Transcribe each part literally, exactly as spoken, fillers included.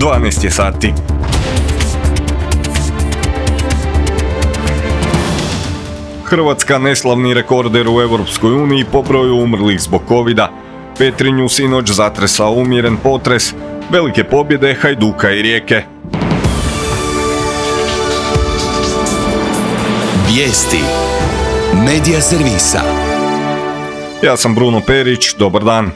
dvanaest je sati. Hrvatska neslavni rekorder u Europskoj uniji po broju umrlih zbog covida. Petrinju sinoć zatresao umjeren potres, velike pobjede Hajduka i Rijeke. Vijesti Medija servisa. Ja sam Bruno Perić, dobar dan.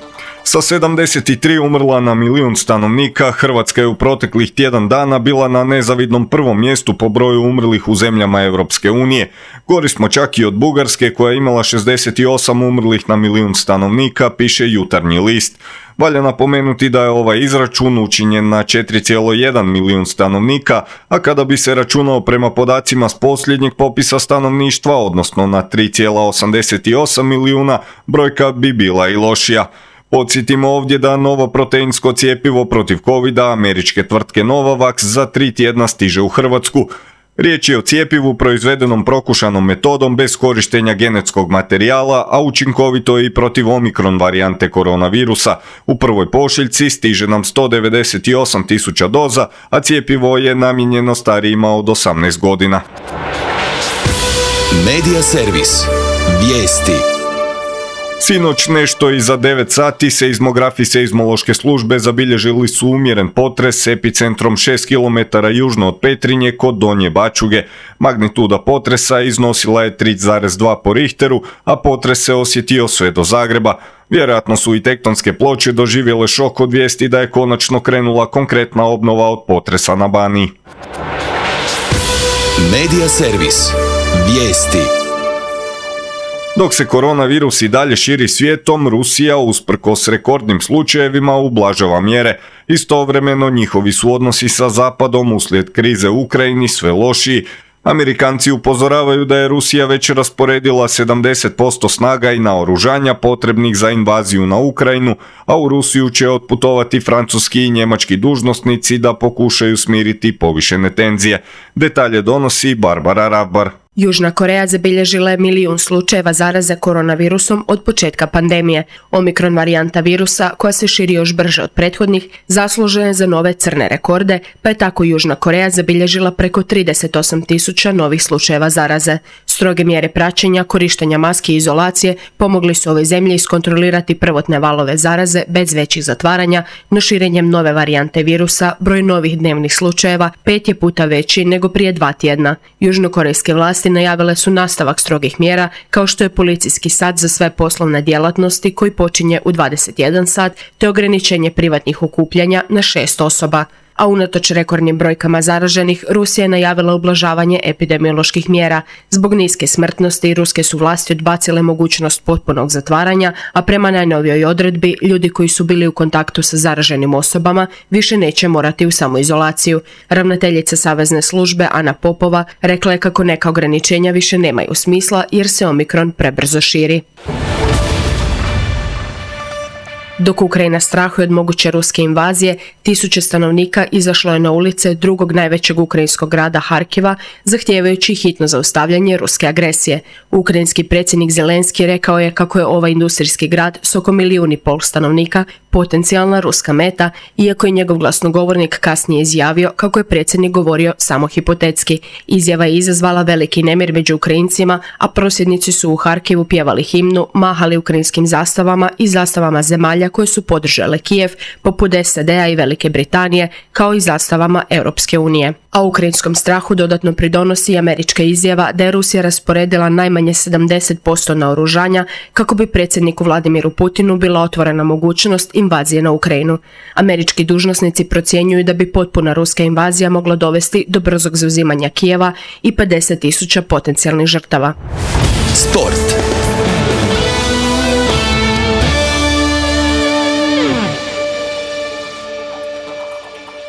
Sa sedamdeset tri umrla na milijun stanovnika, Hrvatska je u proteklih tjedan dana bila na nezavidnom prvom mjestu po broju umrlih u zemljama Europske unije. Gori smo čak i od Bugarske koja je imala šezdeset osam umrlih na milijun stanovnika, piše Jutarnji list. Valja napomenuti da je ovaj izračun učinjen na četiri zarez jedan milijun stanovnika, a kada bi se računao prema podacima s posljednjeg popisa stanovništva, odnosno na tri zarez osamdeset osam milijuna, brojka bi bila i lošija. Podsjetimo ovdje da novo proteinsko cjepivo protiv covida američke tvrtke Novavax za tri tjedna stiže u Hrvatsku. Riječ je o cjepivu proizvedenom prokušanom metodom bez korištenja genetskog materijala, a učinkovito je i protiv omikron varijante koronavirusa. U prvoj pošiljci stiže nam sto devedeset osam tisuća doza, a cjepivo je namijenjeno starijima od osamnaest godina. Medija servis. Vijesti. Sinoć nešto iza devet sati seizmografi seizmološke službe zabilježili su umjeren potres s epicentrom šest kilometara južno od Petrinje kod Donje Bačuge. Magnituda potresa iznosila je tri zarez dva po Richteru, a potres se osjetio sve do Zagreba. Vjerojatno su i tektonske ploče doživjele šok od vijesti da je konačno krenula konkretna obnova od potresa na Baniji. Medija servis. Vijesti. Dok se koronavirus i dalje širi svijetom, Rusija, usprkos rekordnim slučajevima, ublažava mjere. Istovremeno njihovi su odnosi sa Zapadom uslijed krize u Ukrajini sve lošiji. Amerikanci upozoravaju da je Rusija već rasporedila sedamdeset posto snaga i naoružanja potrebnih za invaziju na Ukrajinu, a u Rusiju će otputovati francuski i njemački dužnosnici da pokušaju smiriti povišene tenzije. Detalje donosi Barbara Rabbar. Južna Koreja zabilježila je milijun slučajeva zaraze koronavirusom od početka pandemije. Omikron varijanta virusa, koja se širi još brže od prethodnih, zaslužena je za nove crne rekorde, pa je tako Južna Koreja zabilježila preko trideset osam tisuća novih slučajeva zaraze. Stroge mjere praćenja, korištenja maski i izolacije pomogli su ovoj zemlji iskontrolirati prvotne valove zaraze bez većih zatvaranja, no širenjem nove varijante virusa broj novih dnevnih slučajeva pet je puta veći nego prije dva tjedna. Južnokorejske vlasti najavile su nastavak strogih mjera, kao što je policijski sat za sve poslovne djelatnosti koji počinje u dvadeset jedan sat, te ograničenje privatnih okupljanja na šest osoba. A unatoč rekordnim brojkama zaraženih, Rusija je najavila ublažavanje epidemioloških mjera. Zbog niske smrtnosti, ruske su vlasti odbacile mogućnost potpunog zatvaranja, a prema najnovijoj odredbi, ljudi koji su bili u kontaktu sa zaraženim osobama više neće morati u samoizolaciju. Ravnateljica Savezne službe Ana Popova rekla je kako neka ograničenja više nemaju smisla jer se omikron prebrzo širi. Dok Ukrajina strahuje od moguće ruske invazije, tisuće stanovnika izašlo je na ulice drugog najvećeg ukrajinskog grada Harkiva, zahtijevajući hitno zaustavljanje ruske agresije. Ukrajinski predsjednik Zelenski rekao je kako je ovaj industrijski grad s oko milijun i pol stanovnika potencijalna ruska meta, iako je njegov glasnogovornik kasnije izjavio kako je predsjednik govorio samo hipotetski. Izjava je izazvala veliki nemir među Ukrajincima, a prosvjednici su u Harkivu pjevali himnu, mahali ukrajinskim zastavama i zastavama zemalja koje su podržale Kijev, poput S A D-a i Velike Britanije, kao i zastavama Europske unije. A ukrajinskom strahu dodatno pridonosi i američka izjava da je Rusija rasporedila najmanje sedamdeset posto naoružanja kako bi predsjedniku Vladimiru Putinu bila otvorena mogućnost invazije na Ukrajinu. Američki dužnosnici procjenjuju da bi potpuna ruska invazija mogla dovesti do brzog zauzimanja Kijeva i pedeset tisuća potencijalnih žrtava. Sport.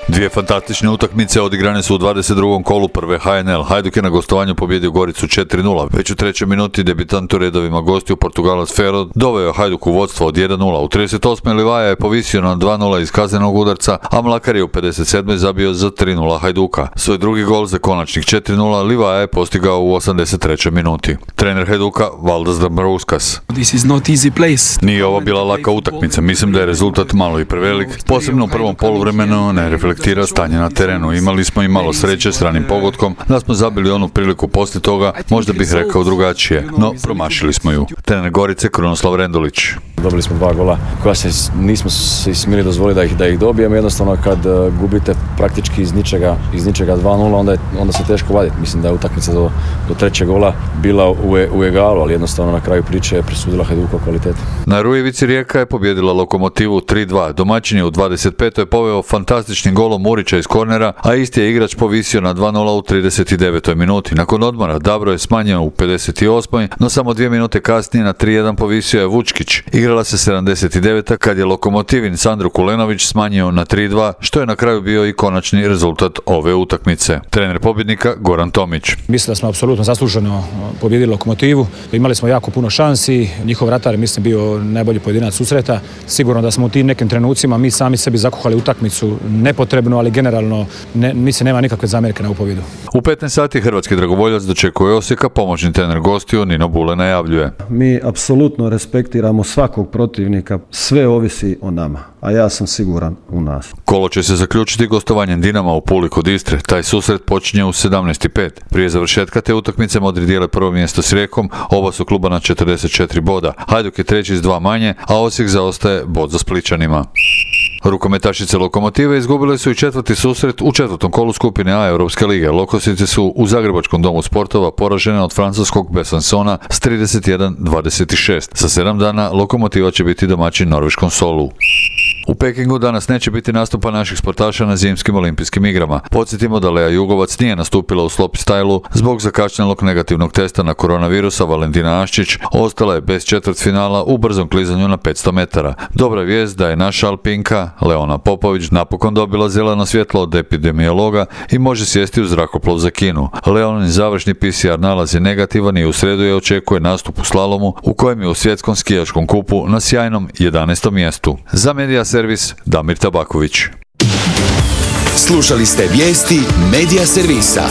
Dvije fantastične utakmice odigrane su u dvadeset drugom kolu prve H N L. Hajduk je na gostovanju pobjedio Goricu četiri nula. Već u trećoj minuti debitant u redovima gostiju Portugalac Ferro doveo Hajduk u vodstvo od jedan nula. U trideset osmoj Livaja je povisio na dva nula iz kaznenog udarca, a Mlakar je u pedeset sedmoj zabio za tri nula Hajduka. Svoj drugi gol za konačnih četiri nula Livaja je postigao u osamdeset trećoj minuti. Trener Hajduka Valdas Dambrauskas: Nije ovo bila laka utakmica, mislim da je rezultat malo i prevelik, posebno u prvom poluvremenu ne reflektira komentira stanje na terenu. Imali smo i malo sreće s ranim pogodkom, da smo zabili onu priliku poslije toga, možda bih rekao drugačije, no promašili smo ju. Trener Gorice Krunoslav Rendulić. Dobili smo dva gola koja se nismo se smjeli dozvoliti da ih, da ih dobijemo. Jednostavno kad uh, gubite praktički iz ničega, iz ničega dva nula, onda, je, onda se teško vaditi. Mislim da je utakmica do, do trećeg gola bila u, u egalu, ali jednostavno na kraju priče je presudila Hajdukova kvaliteta. Na Rujevici Rijeka je pobjedila Lokomotivu tri dva. Domaćin je u dvadeset petoj poveo fantastičnim golom Murića iz kornera, a isti je igrač povisio na dva nula u trideset devetoj minuti. Nakon odmora Dabro je smanjio u pedeset osmoj, no samo dvije minute kasnije na tri jedan povisio je Vučkić. Igrala se sedamdeset deveta kad je Lokomotivin Sandro Kulenović smanjio na tri dva, što je na kraju bio i konačni rezultat ove utakmice. Trener pobjednika Goran Tomić. Mislim da smo apsolutno zasluženo pobjedili Lokomotivu. Imali smo jako puno šansi, njihov vratar je mislim bio najbolji pojedinac susreta. Sigurno da smo u tim nekim trenucima mi sami sebi zakuhali utakmicu nepotrebno, ali generalno ne, mislim nema nikakve zamjerke na ovu pobjedu. U petnaest sati hrvatski dragovoljac dočekuje Osijeka, pomoćni trener gostiju Nino Bule najavljuje. Mi apsolutno respektiramo svakog protivnika, sve ovisi o nama, a ja sam siguran u nas. Kolo će se zaključiti gostovanjem Dinama u Puli kod Istre. Taj susret počinje u sedamnaest i pet. Prije završetka te utakmice Modri dijele prvo mjesto s Rijekom, oba su kluba na četrdeset četiri boda. Hajduk je treći s dva manje, a Osijek zaostaje bod za Splićanima. Rukometašice Lokomotive izgubile su i četvrti susret u četvrtom kolu skupine A Europske lige. Lokosice su u Zagrebačkom domu sportova poražene od francuskog Besancona s trideset jedan dvadeset šest. Za sedam dana Lokomotiva će biti domaćin norveškom Solu. U Pekingu danas neće biti nastupa naših sportaša na zimskim olimpijskim igrama. Podsjetimo da Lea Jugovac nije nastupila u slopestyle zbog zakašnjelog negativnog testa na koronavirusa. Valentina Aščić ostala je bez četvrtfinala u brzom klizanju na petsto metara. Dobra vijest da je naša alpinka Leona Popović napokon dobila zeleno svjetlo od epidemiologa i može sjesti u zrakoplov za Kinu. Leonin završni P C R nalaz je negativan i u srijedu je očekuje nastup u slalomu u kojem je u svjetskom skijaškom kupu na sjajnom jedanaestom mjestu. Za Medija Servis Damir Tabaković. Slušali ste vijesti Medija Servisa.